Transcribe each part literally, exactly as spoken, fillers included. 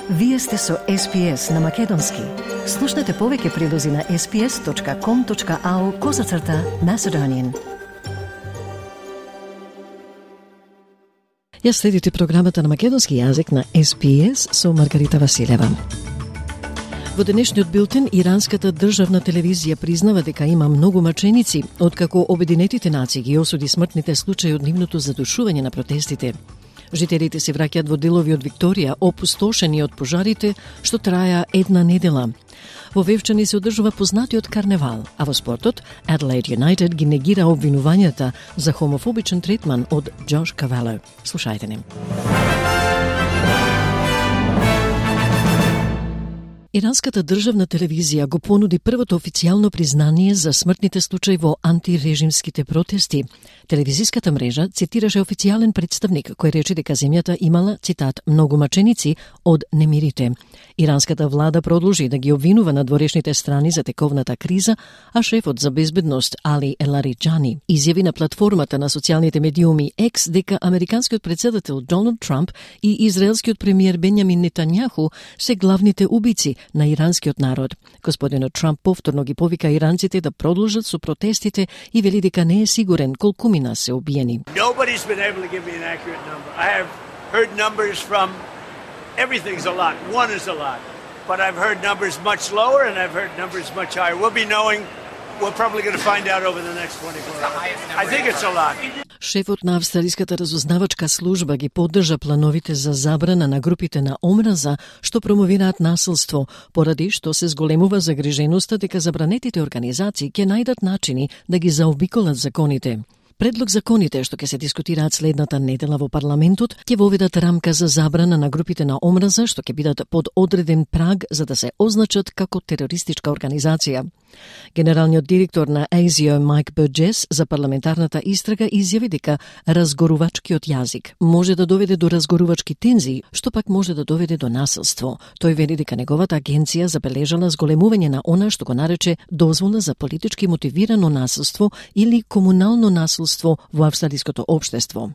Вие сте со Ес Пи Ес на Македонски. Слушнете повеќе прилози на ес пи ес точка ком точка ау козацрта Macedonian. Ја следите програмата на македонски јазик на Ес Пи Ес со Маргарита Василева. Во денешниот билтен, иранската државна телевизија признава дека има многу маченици, откако Обединетите нации ги осуди смртните случаи од нивното задушување на протестите. Жителите се враќаат во делови од Викторија, опустошени од пожарите, што траја една недела. Во Вевчани се одржува познатиот карневал, а во спортот, Adelaide United ги негира обвинувањата за хомофобичен третман од Джош Кавело. Слушајте ни. Иранската државна телевизија го понуди првото официјално признание за смртните случаи во антирежимските протести. Телевизиската мрежа цитираше официјален представник кој рече дека земјата имала, цитат, многу маченици од немирите. Иранската влада продолжи да ги обвинува надворешните страни за тековната криза, а шефот за безбедност Али Елариџани изјави на платформата на социјалните медиуми Екс дека американскиот председател Доналд Трамп и израелскиот премиер Бенјамин Нетањаху се главните убици на иранскиот народ. Господинот Трамп повторно ги повика иранците да продолжат со протестите и вели дека не е сигурен колкумина се убиени. Nobody's been able to give me an accurate number. I have heard numbers from everything's a lot. One is a lot. But I've heard numbers much lower and I've heard numbers much higher. We'll be knowing We're probably going to find out over the next twenty-four hours. I think it's a lot. Шефот на австралиската разузнавачка служба ги поддржа плановите за забрана на групите на омраза што промовираат насилство, поради што се зголемува загриженоста дека забранетите организации ќе најдат начини да ги заобиколат законите. Предлог законите што ќе се дискутираат следната недела во парламентот ќе воведат рамка за забрана на групите на омраза што ќе бидат под одреден праг за да се означат како терористичка организација. Генералниот директор на Ей Си О Майк Бурджес за парламентарната истрага изјави дека разгорувачкиот јазик може да доведе до разгорувачки тензии, што пак може да доведе до насилство. Тој вели дека неговата агенција забележала зголемување на она што го нарече дозвола за политички мотивирано насилство или комунално насилство во австралиското општество.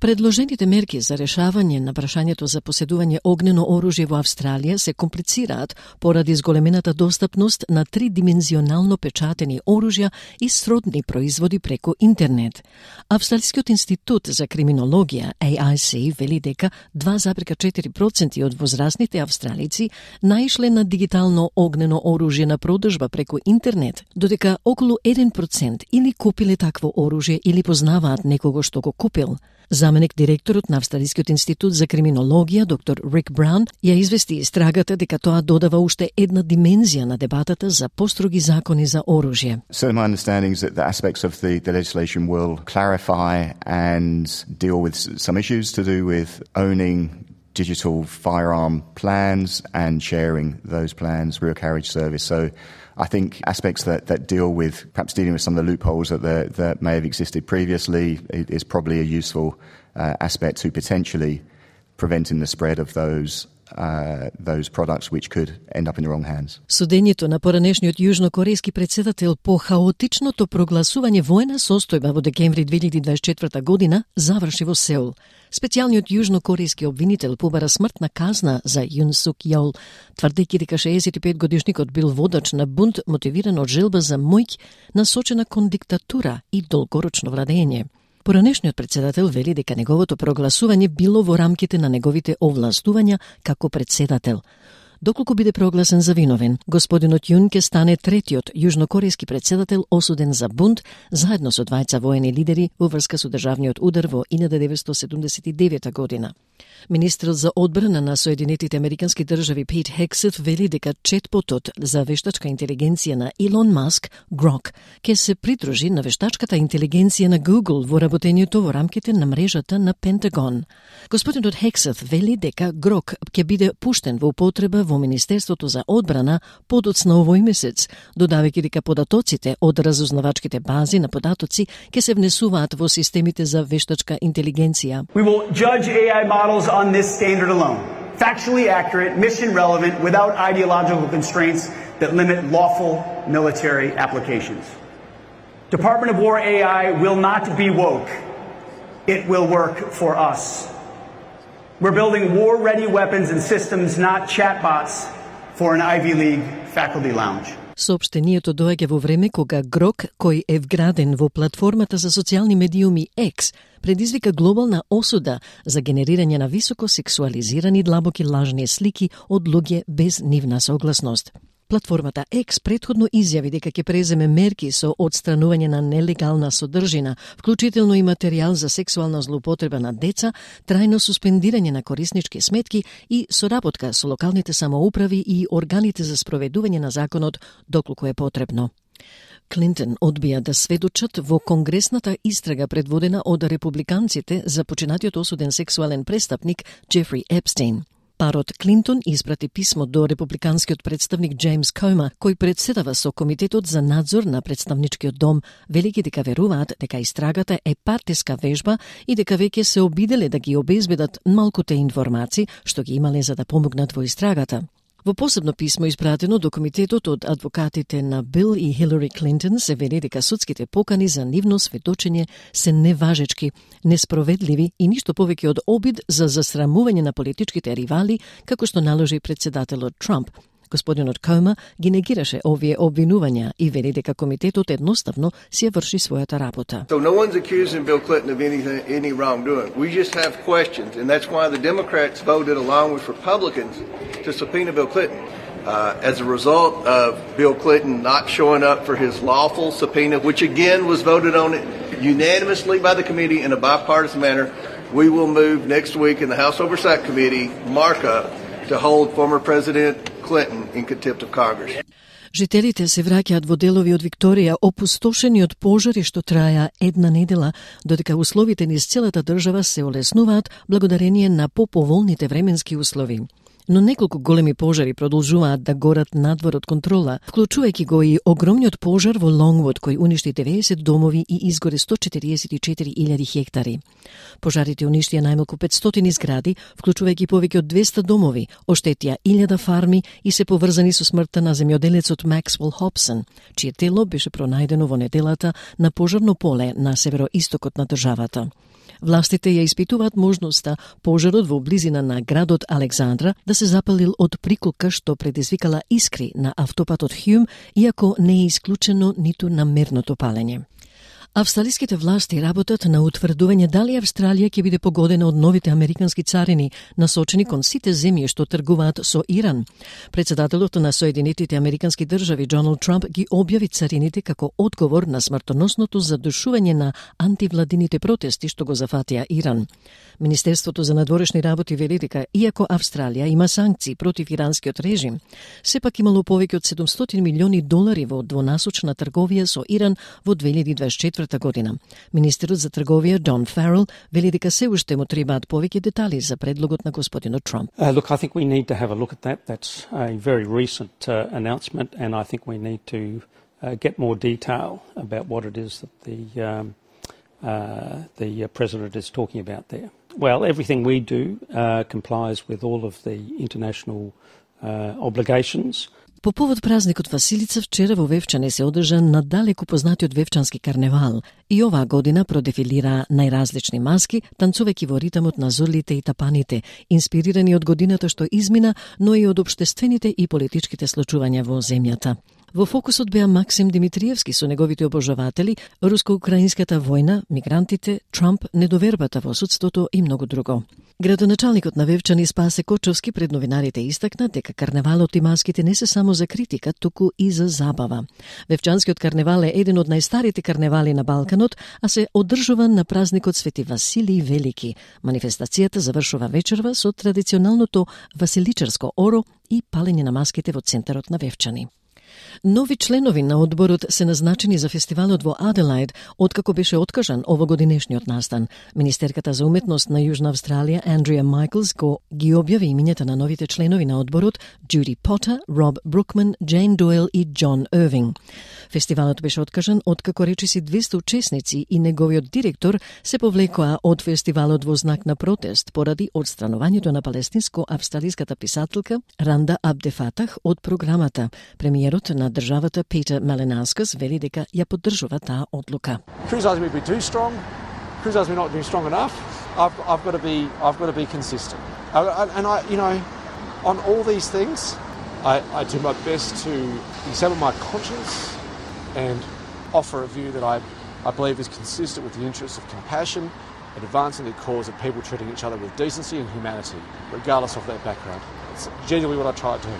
Предложените мерки за решавање на прашањето за поседување огнено оружје во Австралија се комплицираат поради зголемената достапност на тридимензионално печатени оружја и сродни производи преку интернет. Австралискиот институт за криминологија Ей Ай Си вели дека два зарез четири проценти од возрастните австралици наишле на дигитално огнено оружје на продажба преку интернет, додека околу еден процент или купиле такво оружје или познаваат некого што го купил. Заменик директорот на Австралискиот институт за криминологија, доктор Рик Браун, ја извести истрагата дека тоа додава уште една димензија на дебатата за построги закони за оружје. So my understanding is that the aspects of the, the legislation will clarify and deal with some issues to do with owning digital firearm plans and sharing those plans, rear carriage service. So I think aspects that, that deal with perhaps dealing with some of the loopholes that, the, that may have existed previously is probably a useful uh, aspect to potentially preventing the spread of those Uh, those products which could end up in the wrong hands. Судењето на поранешниот јужнокорејски председател по хаотичното прогласување воена состојба во декември две илјади дваесет и четврта година заврши во Сеул. Специјалниот јужнокорејски обвинител побара смртна казна за Јун Сук Јол, тврдејќи дека шеесет и пет годишникот бил водач на бунт мотивиран од желба за моќ насочена кон диктатура и долгорочно владење. Поранешниот председател вели дека неговото прогласување било во рамките на неговите овластувања како председател. Доколку биде прогласен за виновен, господинот Јун ќе стане третиот јужнокорејски председател осуден за бунт заедно со двајца воени лидери во врска со државниот удар во илјада деветстотини седумдесет и девета година. Министерот за одбрана на Соединетите Американски држави Пит Хексет вели дека четпотот за вештачка интелигенција на Илон Маск, Грок, ќе се придружи на вештачката интелигенција на Google во работењето во рамките на мрежата на Пентагон. Господинот Хексет вели дека Грок ќе биде пуштен во употреба во Министерството за одбрана подоцна овој месец, додавајќи дека податоците од разузнавачките бази на податоци ќе се внесуваат во системите за вештачка интелигенција. We will judge A I models on this standard alone. Factually accurate, mission relevant, without ideological constraints that limit lawful military applications. Department of War A I will not be woke. It will work for us. We're building war-ready weapons and systems, not chatbots, for an Ivy League faculty lounge. Соопштението доаѓа во време кога Грок, кој е вграден во платформата за социјални медиуми X, предизвика глобална осуда за генерирање на високо сексуализирани длабоки лажни слики од луѓе без нивна согласност. Платформата X претходно изјави дека ќе преземе мерки со одстранување на нелегална содржина, вклучително и материјал за сексуална злоупотреба на деца, трајно суспендирање на кориснички сметки и соработка со локалните самоуправи и органите за спроведување на законот доколку е потребно. Клинтон одбија да сведочат во конгресната истрага предводена од републиканците за починатиот осуден сексуален престапник Джефри Епстейн. Парот Клинтон испрати писмо до републиканскиот представник Джеймс Кома, кој председава со Комитетот за надзор на представничкиот дом, велики дека веруваат дека истрагата е партиска вежба и дека веќе се обиделе да ги обезбедат малкуте информации што ги имале за да помогнат во истрагата. Во посебно писмо испратено до комитетот од адвокатите на Бил и Хилари Клинтон се вели дека судските покани за нивно сведочење се неважечки, неспроведливи и ништо повеќе од обид за засрамување на политичките ривали, како што наложи председателот Трамп. Господинот Кома ги негираше овие обвинувања и вели дека комитетот едноставно си ја врши својата работа. So no one's accusing Bill Clinton of anything, any wrongdoing. We just have questions, and that's why the Democrats voted along with Republicans to subpoena Bill Clinton. Uh, as a result of Bill Clinton not showing up for his lawful subpoena, which again was voted on unanimously by the committee in a bipartisan manner, we will move next week in the House Oversight Committee markup to hold former President Clinton in contempt of Congress. Жителите се враќаат во делови од Викторија опустошени од пожари што траја една недела, додека условите низ целата држава се олеснуваат благодарение на поповолните временски услови. Но неколку големи пожари продолжуваат да горат надвор од контрола, вклучувајќи го и огромниот пожар во Лонгвуд кој уништи деветдесет домови и изгоре сто четиридесет и четири илјади хектари. Пожарите уништија најмалку петстотини згради, вклучувајќи повеќе од двесте домови, оштетија илјада фарми и се поврзани со смртта на земјоделецот Максвел Хобсон, чие тело беше пронајдено во неделата на пожарно поле на североистокот на државата. Властите ја испитуваат можноста пожарот во близина на градот Александра да се запалил од приколка што предизвикала искри на автопатот Хјум, иако не е исклучено ниту намерното палење. Австралиските власти работат на утврдување дали Австралија ќе биде погодена од новите американски царини, насочени кон сите земји што тргуваат со Иран. Председателот на Соединетите американски држави Доналд Трамп ги објави царините како одговор на смртоносното задушување на антивладините протести што го зафатија Иран. Министерството за надворешни работи вели дека иако Австралија има санкции против иранскиот режим, сепак имало повеќе од седумстотини милиони долари во двонасочна трговија со Иран во две илјади дваесет и четврта година. Министерот за трговија Дон Фарел вели дека се уште му требаат повеќе детали за предлогот на господинот Трамп. Uh, look, I think we need to have a look at that. That's a very recent uh, announcement, and I think we need to uh, get more detail about what it is that the um, uh, the uh, president is talking about there. Well, everything we do uh, complies with all of the international uh, obligations. По повод празникот Василица, вчера во Вевчане се одржа надалеку познатиот Вевчански карневал и оваа година продефилира најразлични маски, танцувајќи во ритамот на зорлите и тапаните, инспирирани од годината што измина, но и од општествените и политичките случувања во земјата. Во фокусот беа Максим Димитриевски со неговите обожаватели, руско-украинската војна, мигрантите, Трамп, недовербата во судството и многу друго. Градоначалникот на Вевчани Спасе Кочовски пред новинарите истакна дека карневалот и маските не се само за критика, туку и за забава. Вевчанскиот карневал е еден од најстарите карневали на Балканот, а се одржува на празникот Свети Василий Велики. Манифестацијата завршува вечерва со традиционалното василичарско оро и палење на маските во центарот на Вевчани. Нови членови на одборот се назначени за фестивалот во Аделаид, откако беше откажан овогодинешниот настан. Министерката за уметност на Јужна Австралија, Андрија Майклс, го ги објави имињата на новите членови на одборот Джуди Потер, Роб Брукман, Джейн Дойл и Џон Ирвинг. Фестивалот беше откажан откако речиси двесте учесници и неговиот директор се повлекоа од фестивалот во знак на протест поради одстранувањето на палестинско-австралиската писателка Ранда Абдефатах од програмата. Премиерот на државата Петер Малинаускас вели дека ја поддржува таа одлука. Criticizing me be too strong. criticise me not being strong enough. I've, I've got to be, I've got to be consistent. I, I, and I, you know, on all these things, I, I do my best to examine my conscience and offer a view that I, I believe is consistent with the interests of compassion and advancing the cause of people treating each other with decency and humanity, regardless of their background. It's genuinely what I try to do.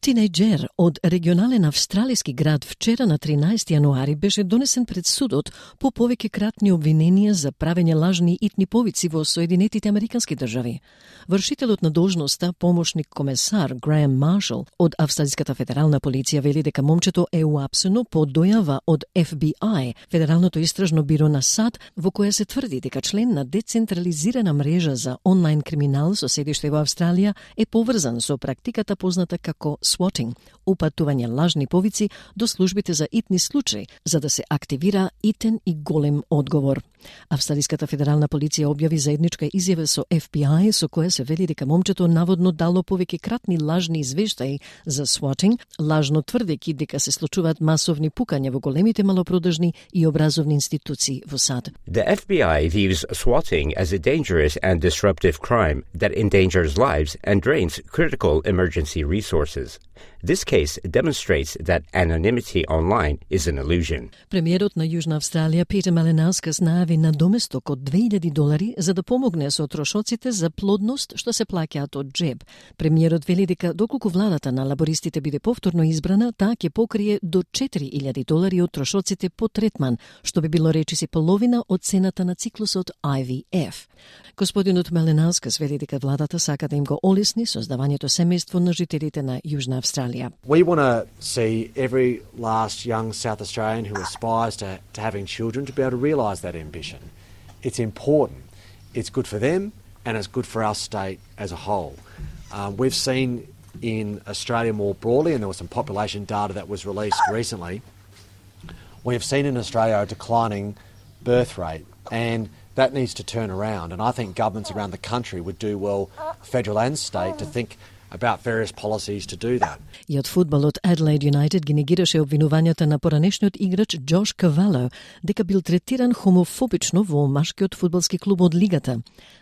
Тинејџер од регионален австралиски град вчера на тринаесети јануари беше донесен пред судот по повеќе кратни обвиненија за правење лажни итни повици во Соединетите Американски држави. Вршителот на должноста, помошник комесар Греем Маршал од Австралиската федерална полиција вели дека момчето е уапсено по дојава од Еф Би Ај, Федералното истражно биро на САД, во која се тврди дека член на децентрализирана мрежа за онлайн криминал со седиште во Австралија е поврзан со практиката позната како swatting, упатување лажни повици до службите за итни случаи, за да се активира итен и голем одговор. Австралиската федерална полиција објави заедничка изјава со Еф Би Ај со која се вели дека момчето наводно дало повеќе кратни лажни извештаи за swatting, лажно тврдејќи дека се случуваат масовни пукања во големите малопродажни и образовни институции во САД. The F B I views swatting as a dangerous and disruptive crime that endangers lives and drains critical emergency resources. This case demonstrates that anonymity online is an illusion. Премиерот на Јужна Австралија Питер Маленаускас најави надоместок од две илјади долари за да помогне со трошоците за плодност што се плаќаат од джеб. Премиерот вели дека доколку владата на лабористите биде повторно избрана, таа ќе покрие до четири илјади долари од трошоците по третман, што би било речиси половина од цената на циклусот Ај Ви Еф. Господинот Маленаускас вели дека владата сака да им го олесни создавањето семејство на жителите на Јужна Австралија. We want to see every last young South Australian who aspires to, to having children to be able to realise that ambition. It's important. It's good for them and it's good for our state as a whole. Um, we've seen in Australia more broadly, and there was some population data that was released recently, we have seen in Australia a declining birth rate, and that needs to turn around. And I think governments around the country would do well, federal and state, to think about various policies to do that. И од фудбалот Adelaide United ги негираше обвинувањата на поранешниот играч Джош Кавало дека бил третиран хомофобично во машкиот фудбалски клуб од лигата.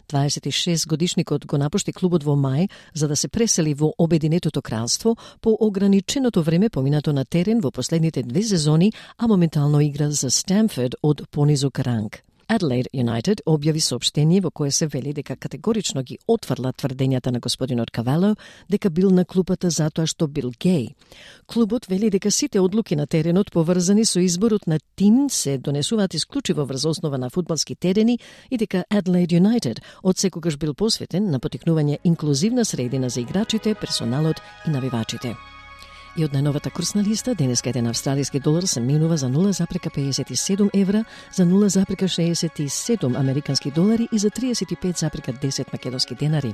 дваесет и шест годишникот го напушти клубот во мај за да се пресели во Обединетото кралство по ограниченото време поминато на терен во последните две сезони, а моментално игра за Стамфорд од понизок ранг. Adelaide United објави соопштение во кое се вели дека категорично ги отфрла тврдењата на господинот Кавало дека бил на клупата затоа што бил геј. Клубот вели дека сите одлуки на теренот поврзани со изборот на тим се донесуваат исклучиво врз основа на фудбалски терени и дека Adelaide United од секогаш бил посветен на потикнување инклузивна средина за играчите, персоналот и навивачите. И од најновата курсна листа, денеска еден австралиски долар се менува за нула запрека пеесет и седум евра, за нула запрека шеесет и седум американски долари и за триесет и пет запрека десет македонски денари.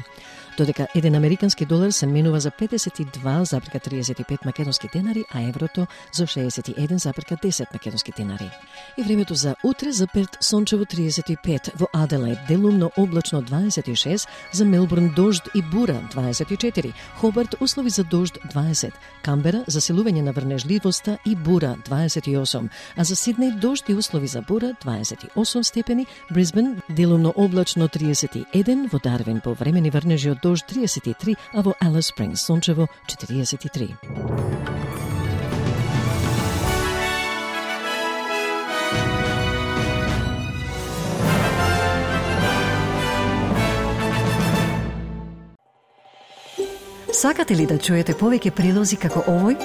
Додека еден американски долар се менува за педесет и два запрека триесет и пет македонски денари, а еврото за шеесет и еден запрека десет македонски денари. И времето за утре за Перт сончево триесет и пет, во Аделаид делумно облачно дваесет и шест, за Мелбурн дожд и бура дваесет и четири, Хобарт услови за дожд дваесет, Камбера заселување на врнежливоста и бура дваесет и осум, а за Сиднеј дожд и услови за бура дваесет и осум степени, Брисбен делумно облачно триесет и еден, во Дарвин повремени врнежи од дожд триесет и три, а во Алис Спрингс сончево четириесет и три. Сакате ли да чуете повеќе прилози како овој?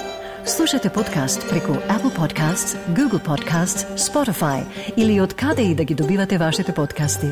Слушате подкаст преку Apple Podcasts, Google Podcasts, Spotify или од каде и да ги добивате вашите подкасти.